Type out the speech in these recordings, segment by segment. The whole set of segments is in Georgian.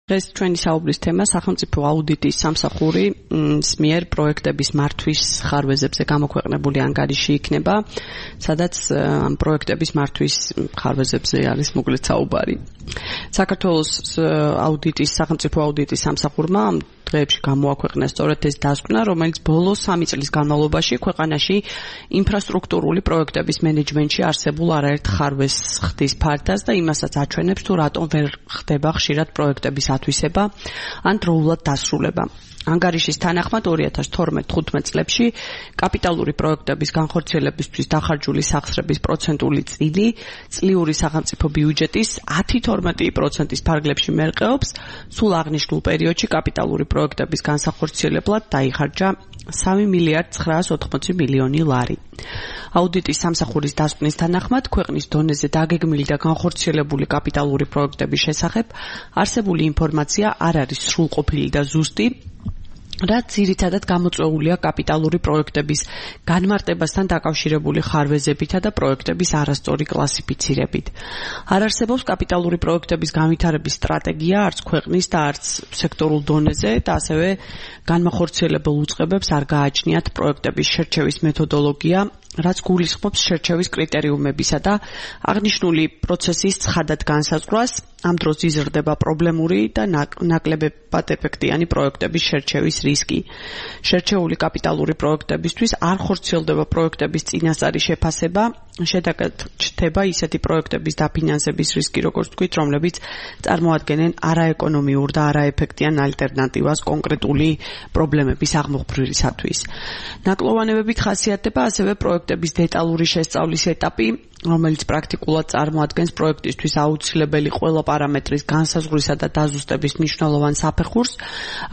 დღეს ჩვენი საუბრის თემა სახელმწიფო აუდიტის სამსახური მიერ პროექტების მართვის ხარვეზებზე გამოქვეყნებული ანგარიში იქნება, სადაც ამ პროექტების მართვის ხარვეზებზე არის მოკლედ საუბარი. საქართველოს სახელმწიფო აუდიტის სამსახურმა დღეებში გამოაქვეყნა სწორედ ეს დასკვნა, რომელიც ბოლოს 3 წლის განმავლობაში ქვეყანაში ინფრასტრუქტურული პროექტების მენეჯმენტში არსებულ არაერთ ხარვეზს ხდის ფართას და იმასაც აჩვენებს, თუ რატომ ვერ ხდება ხშირად პროექტების ათვისება ან დროულად დასრულება. ანგარიშის თანახმად 2012-15 წლებში კაპიტალური პროექტების განხორციელებისთვის დახარჯული სახსრების პროცენტული წილი წლიური სახელმწიფო ბიუჯეტის 10-12%-ის ფარგლებში მერყეობს, სულ აღნიშნულ პერიოდში კაპიტალური პროექტების განსახორციელებლად დაიხარჯა 3 მილიარდ 980 მილიონი ლარი. აუდიტის სამსახურის დასკვნის თანახმად ქვეყნის დონეზე დაგეგმილი და განხორციელებული კაპიტალური პროექტების შესახებ არსებული ინფორმაცია არ არის სრულყოფილი და ზუსტი, რაც ძირითადად გამოწვეულია კაპიტალური პროექტების განმარტებასთან დაკავშირებული ხარვეზებითა და პროექტების არასწორი კლასიფიცირებით. არ არსებობს კაპიტალური პროექტების განვითარების სტრატეგია არც ქვეყნის და არც სექტორულ დონეზე და ასევე განმახორციელებელ უწყებებს არ გააჩნიათ პროექტების შერჩევის მეთოდოლოგია, რაც გულისხმობს შერჩევის კრიტერიუმებისა და აღნიშნული პროცესის ცხადად განსაზღვრას. ამ დროს იზრდება პრობლემური და ნაკლებად ეფექტიანი პროექტების შერჩევის რისკი. შერჩეული კაპიტალური პროექტებისთვის არ ხორციელდება პროექტების წინასწარი შეფასება, შედეგად ჩნდება ისეთი პროექტების დაფინანსების რისკი, როგორც თქვით, რომლებიც წარმოადგენენ არაეკონომიურ და არაეფექტიან ალტერნატივას კონკრეტული პრობლემების აღმოფხვრისათვის. ნაკლოვანებებით ხასიათდება ასევე პროექტების დეტალური შესწავლის ეტაპი, რომელიც პრაქტიკულად წარმოადგენს პროექტისთვის აუცილებელი ყველა პარამეტრის განსაზღვრისა და დაზუსტების მნიშვნელოვან საფეხურს.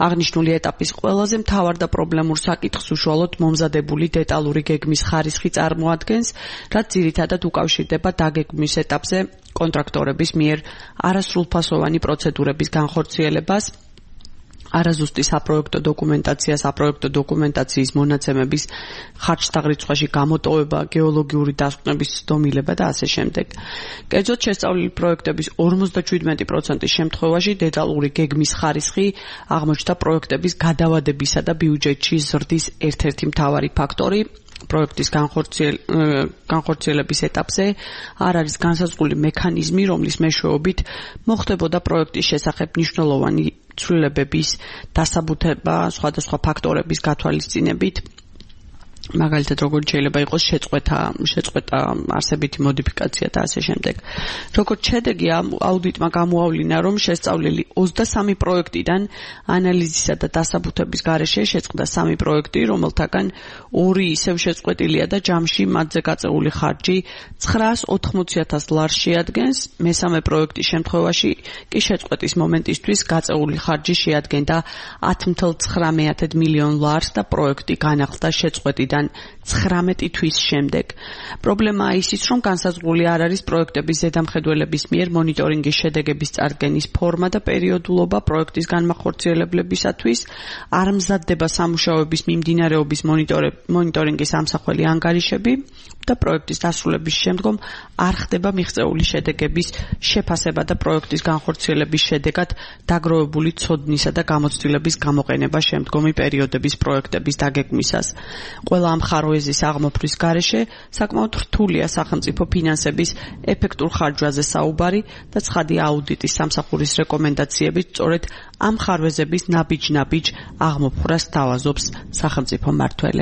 აღნიშნული ეტაპის ყველაზე მთავარ და პრობლემურ საკითხს უშუალოდ მომზადებული დეტალური გეგმის ხარისხი წარმოადგენს, რაც ძირითადად უკავშირდება დაგეგმვის ეტაპზე კონტრაქტორების მიერ არასრულფასოვანი პროცედურების განხორციელებას, არაზუსტი საპროექტო დოკუმენტაციის მონაცემების ხარჯთაღრიცხვაში გამოტოვება, გეოლოგიური დასკვნების ცდომილება და ასე შემდეგ. კერძოდ შესწავლილი პროექტების 57%-ის შემთხვევაში დეტალური გეგმის ხარისხი აღმოჩნდა პროექტების გადავადებისა და ბიუჯეტში ზრდის ერთ-ერთი მთავარი ფაქტორი. პროექტის განხორციელების ეტაპზე არ არის განსაზღვრული მექანიზმი, რომლის მეშვეობით მოხდებოდა პროექტის შესახებ მნიშვნელოვანი ცვლილებების დასაბუთება სხვადასხვა ფაქტორების გათვალისწინებით, მაგალითად როგორც შეიძლება იყოს შეწყვეტა არსებითი მოდიფიკაცია და ასე შემდეგ. როგორც შედეგი აუდიტმა გამოავლინა, რომ შესწავლილი 23 პროექტიდან ანალიზისა და დასაბუთების გარეშე შეწყდა 3 პროექტი, რომელთაგან 2 ისევ შეწყვეტილია და ჯამში მათზე გაწეული ხარჯი 980,000 ლარს შეადგენს. მესამე პროექტის შემთხვევაში კი შეწყვეტის მომენტისთვის გაწეული ხარჯი შეადგენდა 10,9 მილიონ ლარს და პროექტი განახლდა შეწყვეტიდან 19 თვის შემდეგ. პრობლემაა ისიც, რომ განსაზღვრული არ არის პროექტების ზედამხედველების მიერ მონიტორინგის შედეგების წარდგენის ფორმა და პერიოდულობა პროექტის განმახორციელებლებისათვის, არ მზადდება სამუშაოების მიმდინარეობის მონიტორინგის ამსახველი ანგარიშები და პროექტის დასრულების შემდგომ არ ხდება მიღწეული შედეგების შეფასება და პროექტის განხორციელების შედეგად დაგროვებული ცოდნისა და გამოცდილების გამოყენება შემდგომი პერიოდების პროექტების დაგეგმვისას. ყველა ამ ხარვეზის აღმოფხვის გარეშე საკმაოდ რთულია სახელმწიფო ფინანსების ეფექტურ ხარჯვაზე საუბარი და ცხადია აუდიტის სამსახურის რეკომენდაციებით სწორედ ამ ხარვეზების ნაბიჯ-ნაბიჯ აღმოფხვრას სთავაზობს სახელმწიფო მმართველი.